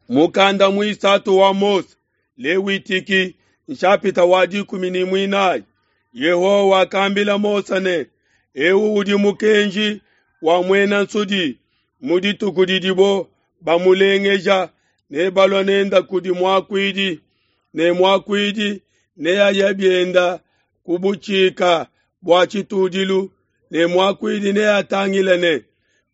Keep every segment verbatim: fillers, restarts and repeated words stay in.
Mukanda muisatu wa Mose, Lewitiki, nshapita wa dikumi ne muinayi. Yehowa wakambila Mose ne, eu udi mukenji wa muena nsudi mu dituku didibo bamulengeja, nebalua nenda kudi muakuidi, ne muakuidi neaye bienda ku butshika bua tshitudilu, ne muakuidi neatangile ne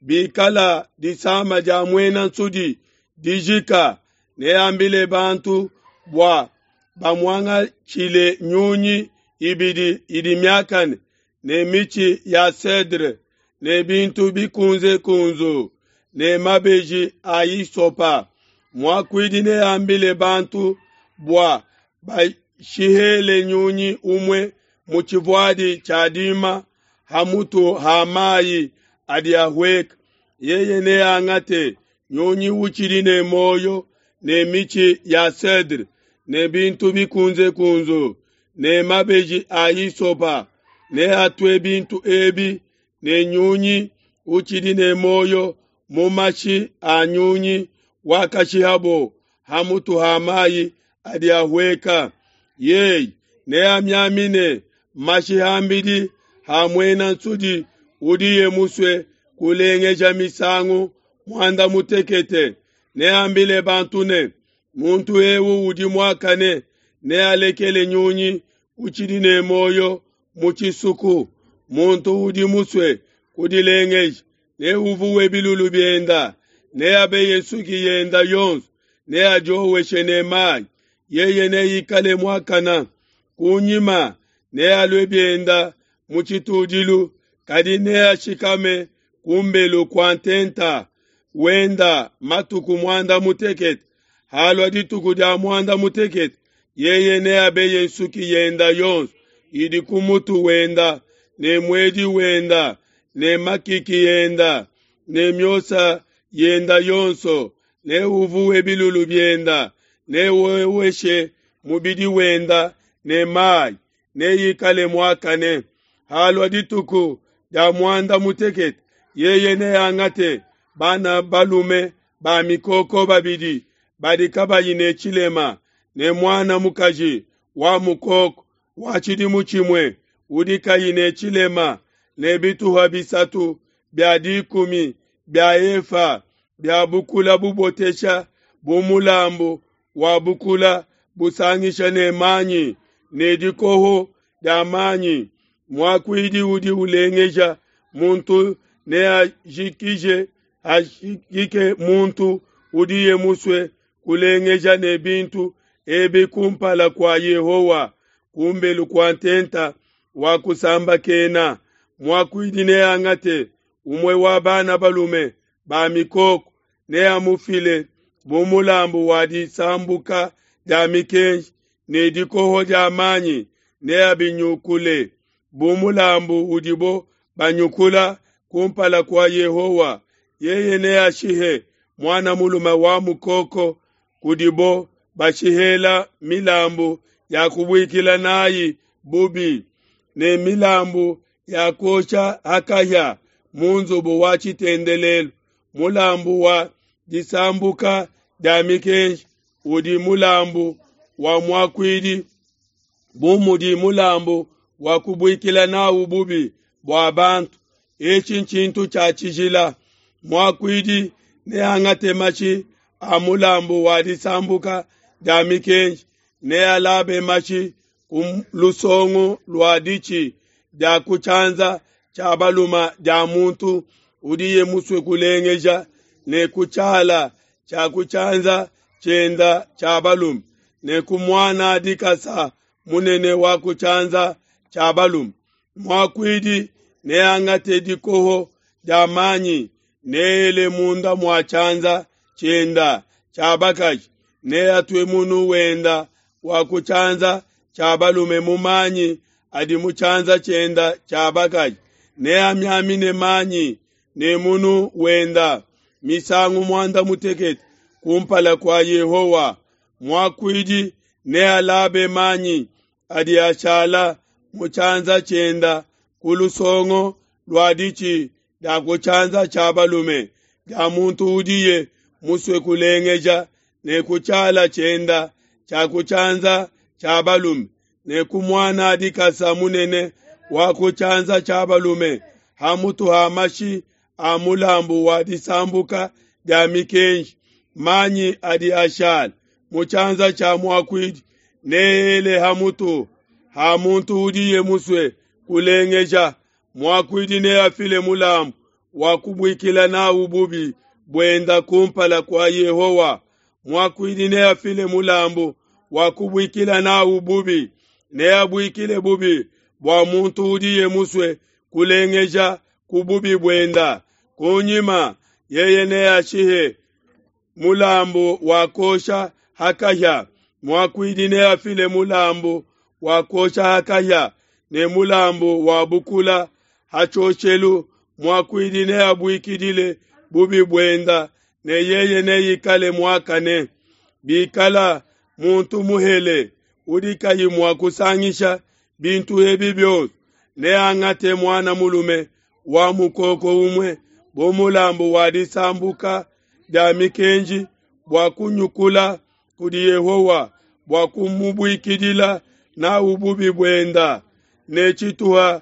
bikala disama dia muena nsudi dijika, neambile bantu bua bamuangatshile nyunyi ibidi idi miakane ne mitshi ya cedre ne bintu bikunze-kunzu ne mabeji a isopa. Muakuidi neambile bantu bua bashihele nyunyi umue mu tshivuadi tshia dima ha mutu ha mayi adi ahueka. Yeye neangate nyunyi utshidi ne muoyo ne mitshi ya cedre ne bintu bikunze-kunzu ne mabeji a isopa, neatue bintu ebi ne nyunyi utshidi ne muoyo mu mashi a nyunyi wakashihabo ha mutu ha mayi adi ahueka. Yeye neamiamine mashi ham'bidi ha muena nsudi udiye musue kulengeja misangu muanda mutekete. Neambile bantu ne, muntu eu udi muakane, nealekele nyunyi utshidi ne muoyo mu tshisuku. Muntu udi musue kudilengeja neuvuwe bilulu bienda, neabeye nsuki yenda yonso, neadioweshe ne mayi, yeye neikale muakana. Kunyima nealue bienda mu tshitudilu, kadi neashikame kumbelu kua ntenta wenda matuku muanda mutekete. Halua dituku dia muanda mutekete, yeye neabeye nsuki yenda yonso idi ku mutu wenda ne muedi wenda ne makiki enda ne miosa yenda yonso, neuvuwe bilulu bienda, newoweshe mubidi wenda ne mayi, neikale muakane. Halua dituku dia muanda mutekete, yeye neangate bana balume ba mikoko babidi badi kabayi ne tshilema ne muana mukaji wa mukoko wa tshidimu tshimue udi kayi ne tshilema ne bituha bisatu bia dikumi bia efa bia bukula bubotesha bu mulambu wa bukula busangisha ne manyi ne dikoho dia manyi. Muakuidi udi ulengeja muntu neajikije ashikike muntu udiye musue kulengeja ne bintu ebi kumpala kua Yehowa kumbelu kua ntenta wa kusambakena. Muakuidi neangate umue wa bana balume ba mikoko, neamufile bu mulambu wa disambuka dia mikenji, ne dikoho dia manyi neabinyukule bu mulambu udibo banyukula kumpala kua Yehowa. Yeye neashihe muana mulume wa mukoko kudibo bashihela milambu ya kubuikila nayi bubi ne milambu ya kuosha ha kahia mu nzubu wa tshitendelelu. Mulambu wa disambuka dia mikenji udi mulambu wa muakuidi bu mudi mulambu wa kubuikila nawu bubi bua bantu. Etshi ntshintu tshia tshijila. Muakuidi neangate mashi a mulambu wa disambuka dia mikenji, nealabe mashi ku lusongo lua ditshi dia ku tshianza tshia balume dia muntu udiye musue kulengeja, ne ku tshiala tshia ku tshianza tshienda tshia balume, ne ku muana dikasa munene wa ku tshianza tshia balume. Muakuidi neangate dikoho dia manyi, neele munda mua tshianza tshienda tshia bakaji, neatue munu wenda wa ku tshianza tshia balume mu manyi adi mu tshianza tshienda tshia bakaji, neamiamine manyi ne munu wenda misangu muanda mutekete kumpala kua Yehowa. Muakuidi nealabe manyi adi ashala mu tshianza tshienda ku lusongo lua ditshi dia ku tshianza tshia balume dia muntu udiye musue kulengeja, ne ku tshiala tshienda tshia ku tshianza tshia balume ne ku muana dikasa munene wa ku tshianza tshia balume ha mutu ha mashi a mulambu wa disambuka dia mikenji. Manyi adi ashala mu tshianza tshia muakuidi neele ha mutu ha muntu udiye musue kulengeja. Muakuidi neafile mulambu wa kubuikila nawu bubi buenda kumpala kua Yehowa. Muakuidi neafile mulambu wa kubuikila nawu bubi, neabuikile bubi bua muntu udiye musue kulengeja ku bubi buenda. Kunyima yeye neashihe mulambu wa kosha ha kahia. Muakuidi neafile mulambu wa kosha ha kahia ne mulambu wa bukula ha tshioshelu. Muakuidi neabuikidile bubi buenda ne yeye neikale muakane. Bikala muntu muhele udi kayi mua kusangisha bintu ebi bionso, neangate muana mulume wa mukoko umue bu mulambu wa disambuka dia mikenji bua kunyukula kudi Yehowa bua kumubuikidila nawu bubi buenda, ne tshituha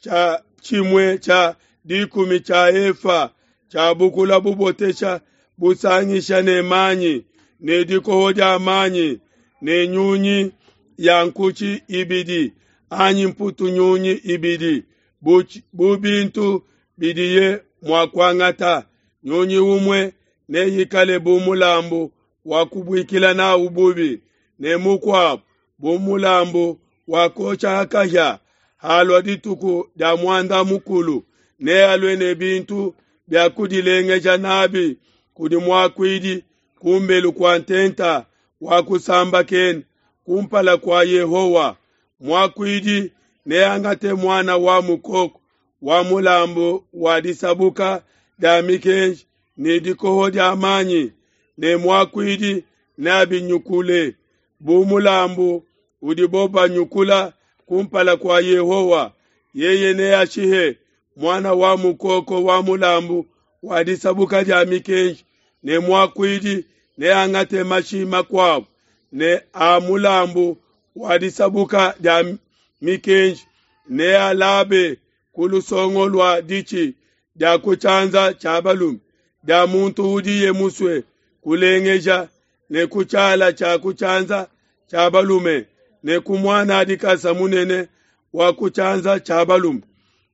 tshia tshimue tshia dikumi tshia efa tshia bukula bubotesha busangisha ne manyi ne dikoho dia manyi ne nyunyi ya nkutshi ibidi anyi mputu nyunyi ibidi bu, bu bintu bidiye mua kuangata. Nyunyi umue neikale bu mulambu wa kubuikila nawu bubi ne mukuabu bu mulambu wa kosha ha kahia. Halua dituku dia muanda mukulu nealue ne bintu bia kudilengeja nabi kudi muakuidi kumbelu kua ntenta wa kusambakena kumpala kua Yehowa. Muakuidi neangate muana wa mukoko wa mulambu wa disabuka dia mikenji ne dikoho dia manyi, ne muakuidi neabinyukule bu mulambu udibo banyukula kumpala kua Yehowa. Yeye neashihe muana wa mukoko wa mulambu wa disabuka dia mikenji, ne muakuidi neangate mashi makuabu ne a mulambu wa disabuka dia mikenji, nealabe ku lusongo lua ditshi dia ku tshianza tshia balume dia muntu udiye musue kulengeja, ne ku tshiala tshia ku tshianza tshia balume ne ku muana dikasa munene wa ku tshianza tshia balume.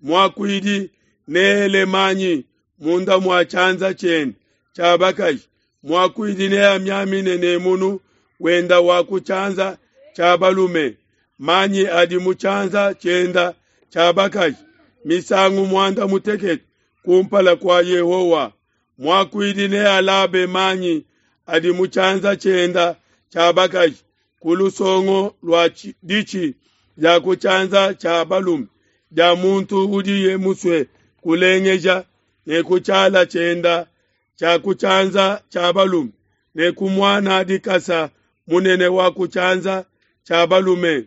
Muakuidi neele manyi munda mua tshianza tshiende tshia bakaji. Muakuidi neamiamine ne munu wenda wa ku tshianza tshia balume manyi adi mu tshianza tshienda tshia bakaji misangu muanda mutekete kumpala kua Yehowa. Muakuidi nealabe manyi adi mu tshianza tshienda tshia bakaji ku lusongo lua ditshi dia ku tshianza tshia balume dia muntu udiye musue kulengeja, ne ku tshiala tshienda tshia ku tshianza tshia balume ne ku muana dikasa munene wa ku tshianza tshia balume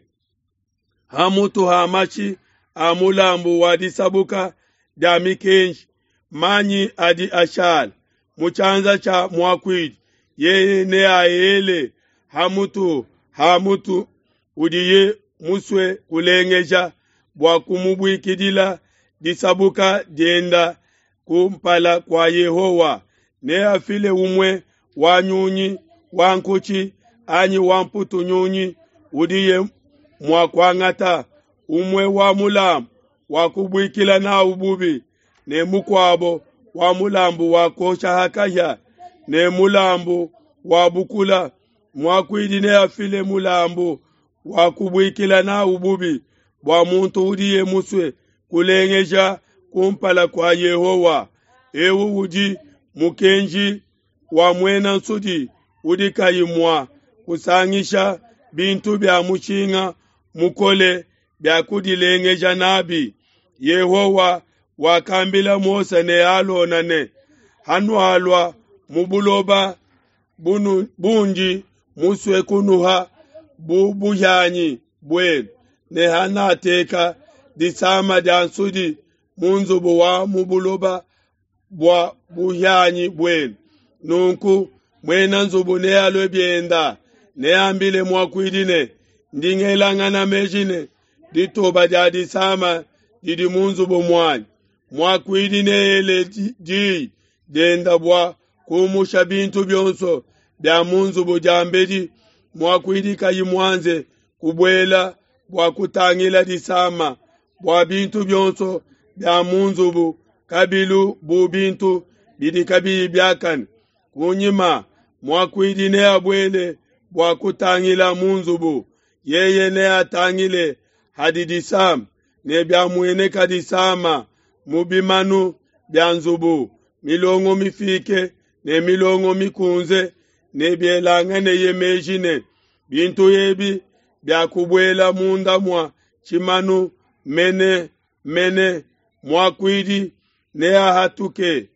ha mutu ha mashi a mulambu wa disabuka dia mikenji. Manyi adi ashala mu tshianza tshia muakuidi, yeye neaele ha mutu ha mutu udiye musue kulengeja bua kumubuikidila disabuka dienda kumpala kua Yehowa. Neafile umue wa nyunyi wa nkutshi anyi wa mputu nyunyi udiye mua kuangata, umue wa mulambu wa kubuikila nawu bubi ne mukuabo wa mulambu wa kosha ha kahia ne mulambu wa bukula. Muakuidi neafile mulambu wa kubuikila nawu bubi bua muntu udiye musue kulengeja kumpala kua Yehowa. Ewu udi mukenji wa muena nsudi udi kayi mua kusangisha bintu bia mushinga mukole bia kudilengeja nabi. Yehowa wakambila Mose ne Alona ne, hanualua mu buloba bunu bundi musue kunuha bu buhianyi buenu, ne hanateka disama dia nsudi mu nzubu wa mu buloba bua buhianyi buenu, nunku Muena nzubu nealue bienda, neambile muakuidi ne, ndi ngelangana meji ne, ditoba dia disama didi mu nzubu muanyi. Muakuidi neele diyi dienda bua kumusha bintu bionso bia mu nzubu diambedi muakuidi kayi muanze kubuela bua kutangila disama, bua bintu bionso bia mu nzubu kabilu bu bintu bidi kabiyi biakane. Kunyima muakuidi neabuele bua kutangila mu nzubu, yeye neatangile hadi disama, ne biamueneka disama mu bimanu bia nzubu, milongo mifike ne milongo mikunze, ne bielanganeye meji ne bintu ebi biakubuela munda mua tshimanu mene mene, muakuidi neahatuke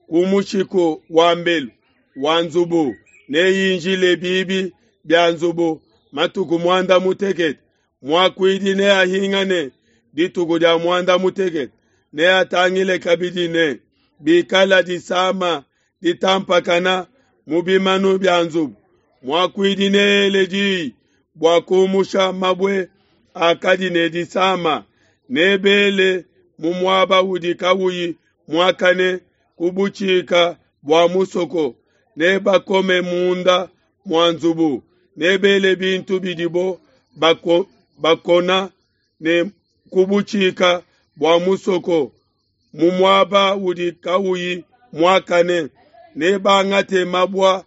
ku mushiku wa mbelu wa nzubu, neinjile bibi bia nzubu matuku muanda mutekete. Muakuidi neahingane dituku dia muanda mutekete, neatangile kabidi ne bikala disama ditampakana mu bimanu bia nzubu, muakuidi neele diyi bua kumusha mabue akadi ne disama, nebele mu muaba udi kawuyi muakane ku butshika bua musoko, nebakome munda mua nzubu, nebele bintu bidibo bako, bakona ne ku butshika bua musoko mu muaba udi kawuyi muakane, nebangate mabua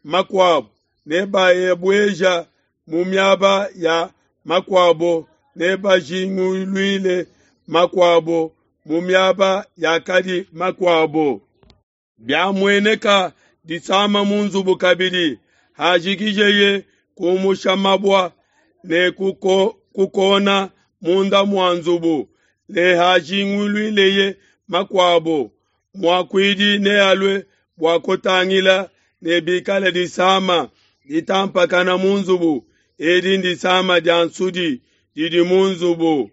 makuabo, nebayabueja mu miaba ya makuabo, nebajinguluile makuabo mu miaba yakadi makuabo. Biamueneka disama mu nzubu kabidi, hajikijeye kumusha mabua ne kuko, kukona munda mua nzubu, ne hajinguluileye makuabo, muakuidi nealue bua kutangila ne bikala disama ditampakana mu nzubu, edi ndisama dia nsudi didi mu nzubu.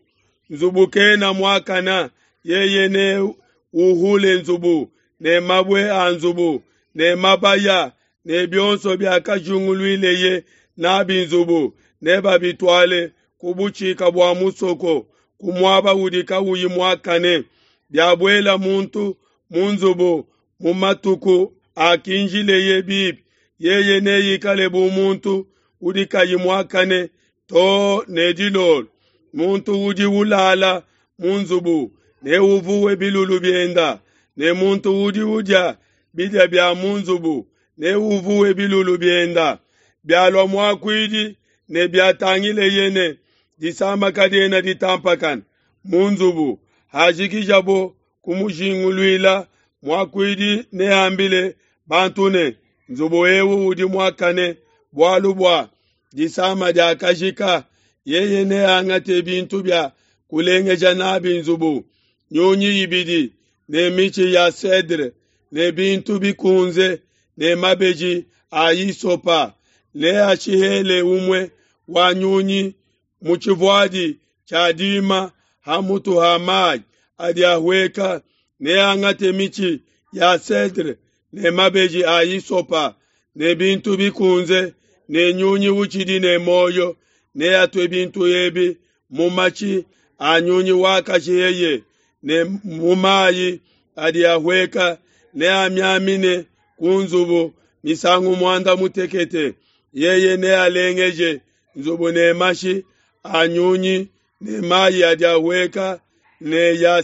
Nzubu kena muakana, yeye ne uhule nzubu ne mabue a nzubu ne mabaya ne bionso biakajinguluileye nabi nzubu, nebabituale ku butshika bua musoko, ku muaba udi kawuyi muakane. Biabuela muntu mu nzubu mu matuku akinjileye bibi, yeye neikale bu muntu udi kayi muakane too ne dilolo. Muntu udi ulala mu nzubu neuvuwe bilulu bienda, ne muntu udi udia bidia bia mu nzubu neuvuwe bilulu bienda. Bialua muakuidi ne biatangileye ne disama kadiena ditampakana mu nzubu, hajikijabo kumujinguluila, muakuidi neambile bantu ne, nzubu eu udi muakane, bualu bua disama diakajika. Yeye neangate bintu bia kulengeja nabi nzubu, nyunyi ibidi ne mitshi ya cedre ne bintu bikunze ne mabeji a isopa, neashihele umue wa nyunyi mu tshivuadi tshia dima ha mutu ha mayi adi ahueka. Neangate mitshi ya cedre ne mabeji a isopa ne bintu bikunze ne nyunyi utshidi ne muoyo, neatue bintu ebi mu matshi a nyunyi wakashiheye ne mu mayi adi ahueka, neamiamine ku nzubu misangu muanda mutekete. Yeye nealengeje nzubu ne mashi a nyunyi ne mayi adi ahueka ne ya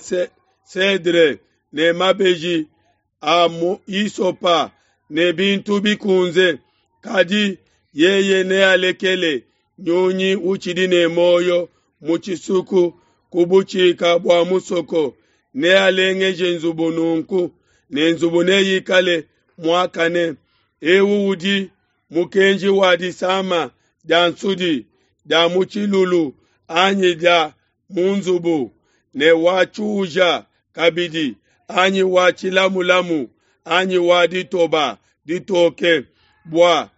cedre ne mabeji a isopa ne bintu bikunze. Kadi yeye nealekele nyunyi utshidi ne muoyo mu tshisuku ku butshika bua musoko, nealengeje nzubu nunku, ne nzubu neikale muakane. Eu udi mukenji wa disama dia nsudi dia mu tshilulu anyi dia mu nzubu, ne wa tshiuja kabidi anyi wa tshilamulamu anyi wa ditoba ditoke, bua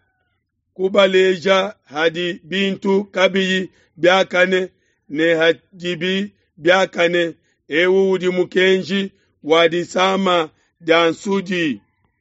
kubaleja hadi bintu kabiyi biakane ne hadibi biakane. Eu udi mukenji wa disama dia nsudi.